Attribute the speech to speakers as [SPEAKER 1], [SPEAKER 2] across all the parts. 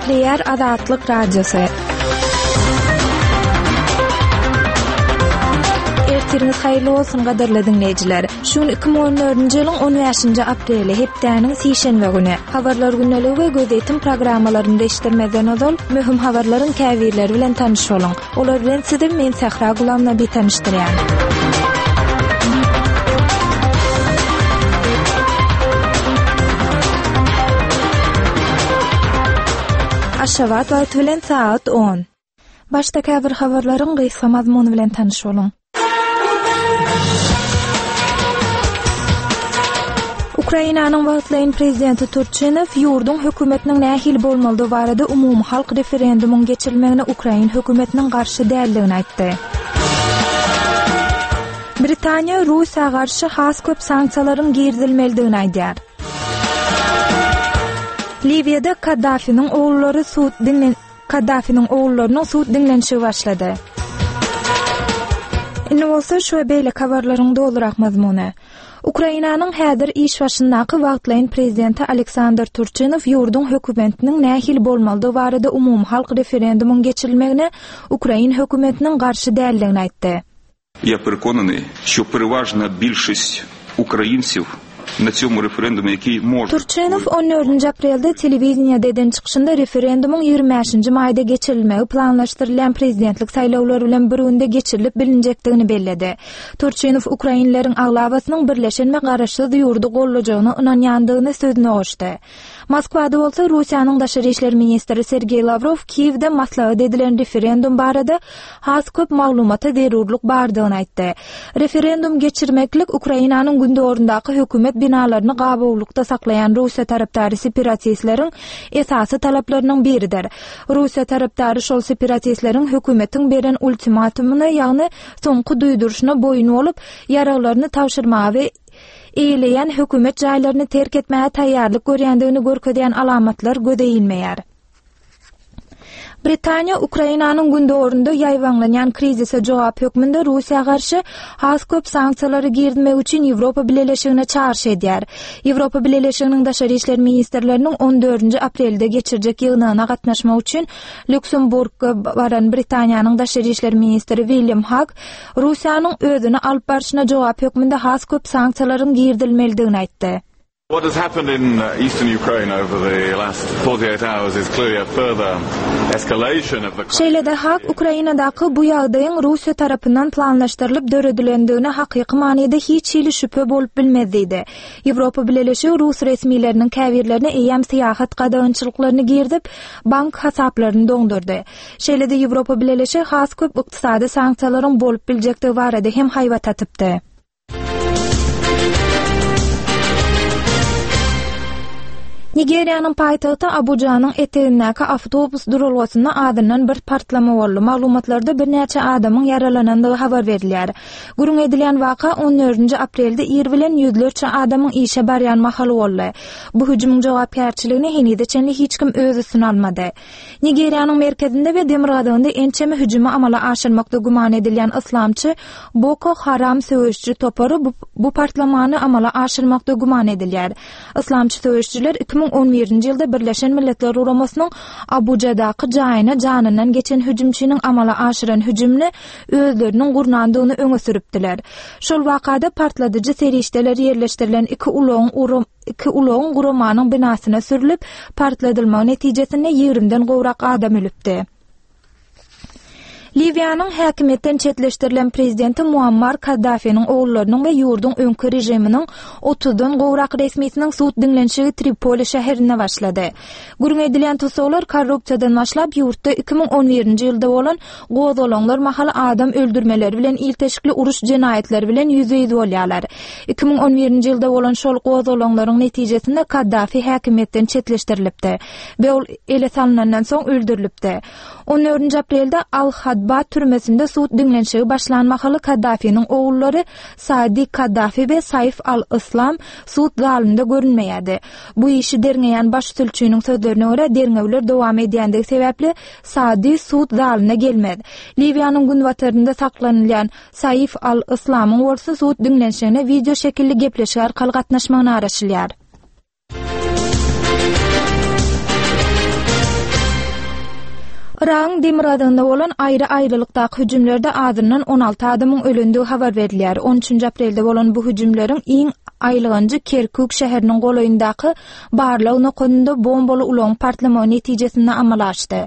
[SPEAKER 1] Gepleýär Azatlyk Radiosy. Ertiriňiz haýyrly bolsun gadyrly diňleýjiler. Şu gün 2014-nji ýylyň 15-nji apreli, hepdäniň sişenbe güni. Habarlar gündeligi we gözýetim programmalarynda eşitdirmezden ozal, möhüm habarlaryň käbirleri bilen tanyş boluň. Olar bilen sizi men Sähra Gulamnabi tanyşdyrýan. Aşgabat wagty bilen sagat 10. Başda käbir habarlaryň gysga mazmuny bilen tanyş boluň. Ukrainanyň wagtlaýyn prezidenti Turçinow ýurduň hökümetiniň nähili bolmalydygy barada umumyhalk referendumyň geçirilmegine ukrain hökümetiniň garşy däldigini aýtdy. Britaniýa Russiýa garşy has köp sanksiýalaryň girizilmelidigini aýdýar. Liwiýada Kaddafiniň ogullary sud diňlen Kaddafiniň ogullarynyň sud diňlenişigi başlady. Indi bolsa şu we beýleki habarlaryň dolurak mazmuny. Ukrainanyň häzir iş başyndaky wagtlaýyn prezidenti Aleksandr Turçinow ýurduň hökümetiniň nähili bolmalydygy barada umumyhalk referendumyň geçirilmegine ukrain hökümetiniň garşy däldigini aýtdy.
[SPEAKER 2] Ýa perekonanyý, şo perewažna bilşist ukrainsiw na tsýomu referendume ýakiý može.
[SPEAKER 1] Turçinow on dördünji aprelde telewideniýede eden çykyşynda referendumyň ýigrimi bäşinji maýda geçirilmegi planlaşdyrylýan prezidentlik saýlawlary bilen bir günde geçirilip bilinjekdigini belledi. Turçinow ukrainleriň aglabasynyň birleşen we garaşsyz ýurdy goldajagyna ynanýandygyny sözüne goşdy. Moskwada bolsa Russiýanyň daşary işler ministri Sergeý Lawrow Kiýewde maslahat edilen referendum barada has köp maglumata zerurlyk bardygyny aýtdy. Referendum geçirmeklik Ukrainanyň gündogaryndaky hökümet binalaryny gabawlykda saklaýan Russiýa tarapdary separatistleriň esasy talaplarynyň biridir. Russiýa tarapdary şol separatistleriň hökümetiň beren ultimatumyna, ýagny soňky duýduryşyna boýun bolup, ýaraglaryny tabşyrmaga we eýeleýän hökümet jaýlaryny terk etmäge taýýarlyk görýändigini görkezýän alamatlar göze ilmeýär. Britaniýa Ukrainanyň gündogarynda ýaýbaňlanýan krizise jogap hökmünde Russiýa garşy has köp sanksiýalary girizmek üçin Ýewropa Bileleşigine çagyryş edýär. Ýewropa Bileleşiginiň daşary işler ministrleriniň on dördünji aprelde geçirjek ýygnagyna gatnaşmak üçin Lýuksemburga baran Britaniýanyň daşary işler ministri William Hag Russiýanyň özüni alyp barşyna jogap hökmünde has köp sanksiýalaryň girizilmelidigini aýtdy.
[SPEAKER 3] What has happened in eastern Ukraine over the last 48 hours is clearly a further escalation of the
[SPEAKER 1] Şeýle-de Hag Ukrainadaky bu ýagdaýyň Russiýa tarapyndan planlaşdyrylyp döredilendigine hakyky manyda hiç hili şübhe bolup bilmez diýdi. Ýewropa Bileleşigi rus resmileriniň käbirlerine eýýäm syýahat gadagançylyklaryny girizip, bank hasaplaryny doňdurdy. Şeýle-de Ýewropa Bileleşigi has köp ykdysady sanksiýalaryň bolup biljekdigi barada hem haýbat atypdy. Nigeriýanyň paýtagty Abujanyň etegindäki awtobus duralgasynda azyndan bir partlama boldy. Maglumatlarda birnäçe adamyň ýaralanandygy habar berilýär. Gürrüň edilýän waka on dördünji aprelde ir bilen ýüzlerçe adamyň işe barýan mahaly boldy. Bu hüjümiň jogapkärçiligini henize çenli hiç kim öz üstüne almady. Nigeriýanyň merkezinde we demirgazygynda ençeme hüjümi amala aşyrmakda güman edilýän yslamçy Boko Haram söweşiji topary bu partlamany amala aşyrmakda güman edilýär. Yslamçy söweşijiler 2011-nji ýylda Birleşen Milletler Guramasynyň Abujadaky jaýyna janyndan geçen hüjümçiniň amala aşyran hüjümini özleriniň gurnandygyny öňe sürüpdiler. Şol wakada partladyjy serişdeler ýerleşdirilen iki ulagyň iki ulagyň guramanyň binasyna sürlüp, partladylmagy netijesinde ýigrimden gowrak adam ölüpdi. Liwiýanyň häkimiýetden çetleşdirilen prezidenti Muammar Kaddafiniň ogullarynyň we ýurduň öňki režiminiň otuzdan gowrak resmisiniň sud diňlenişigi Tripoli şäherinde başlady. Gürrüň edilýän tussaglar korrupsiýadan başlap, ýurtda 2011-nji ýylda bolan gozgalaňlar mahaly adam öldürmeleri bilen ilteşikli uruş jenaýatlary bilen ýüzbe-ýüz bolýarlar. 2011-nji ýylda bolan şol gozgalaňlaryň netijesinde Kaddafi häkimiýetden çetleşdirilipdi we ol ele salnandan soň öldürilipdi. On dördünji aprelde Al-Hadba türmesinde sud diňlenişigi başlan mahaly Kaddafiniň ogullary Saadi Kaddafi we Saif al-Yslam sud zalynda görünmeýärdi. Bu işi derňeýän baş sülçüniň sözlerine görä, derňewler dowam edýändigi sebäpli Saadi sud zalyna gelmez. Liwiýanyň günbatarynda saklanylýan Saif al-Yslamyň bolsa sud diňlenişigine wideo şekilli gepleşik arkaly gatnaşmagyna garaşylýar. Yragyň demirgazygynda bolan aýry-aýrylykdaky hüjümlerde azyndan 16 adamyň ölendigi habar berilýär. On üçünji aprelde bolan bu hüjümleriň iň aýylganjy Kerkük şäheriniň golaýyndaky barlag nokadynda bombaly ulagyň partlamagy netijesinde amala aşdy.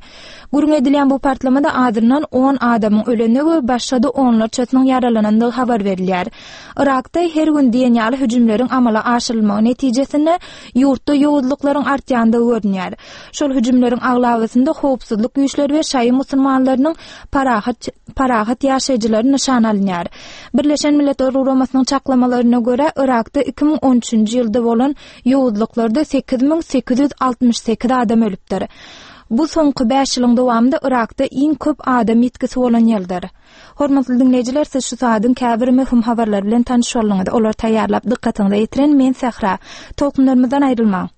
[SPEAKER 1] Gürrüň edilýän bu partlamada azyndan on adamyň ölendigi we başga-da onlarçasynyň ýaralanandygy habar berilýär. Yrakda her gün diýen ýaly hüjümleriň amala aşyrylmagy netijesinde ýurtda ýowuzlyklaryň artýandygy görünýär. Şol hüjümleriň aglabasynda howpsuzlyk güýçleri we şaýy musulmanlarynyň parahat parahat ýaşaýjylary nyşana alynýar. Birleşen Milletler Guramasynyň çaklamalaryna görä, Yrakda 2013-nji ýylda bolan ýowuzlyklarda 8868 adam ölüpdir. Bu soňky bäş ýylyň dowamynda Yrakda iň köp adam ýitgisi bolan ýyldyr. Hormatly diňleýjiler, siz şu saadyň käbir möhüm habarlary bilen tanyş bolduňyz. Olary taýýarlap dykgatyňyza ýetiren men Sähra. Tolkunlarymyzdan aýrylmaň.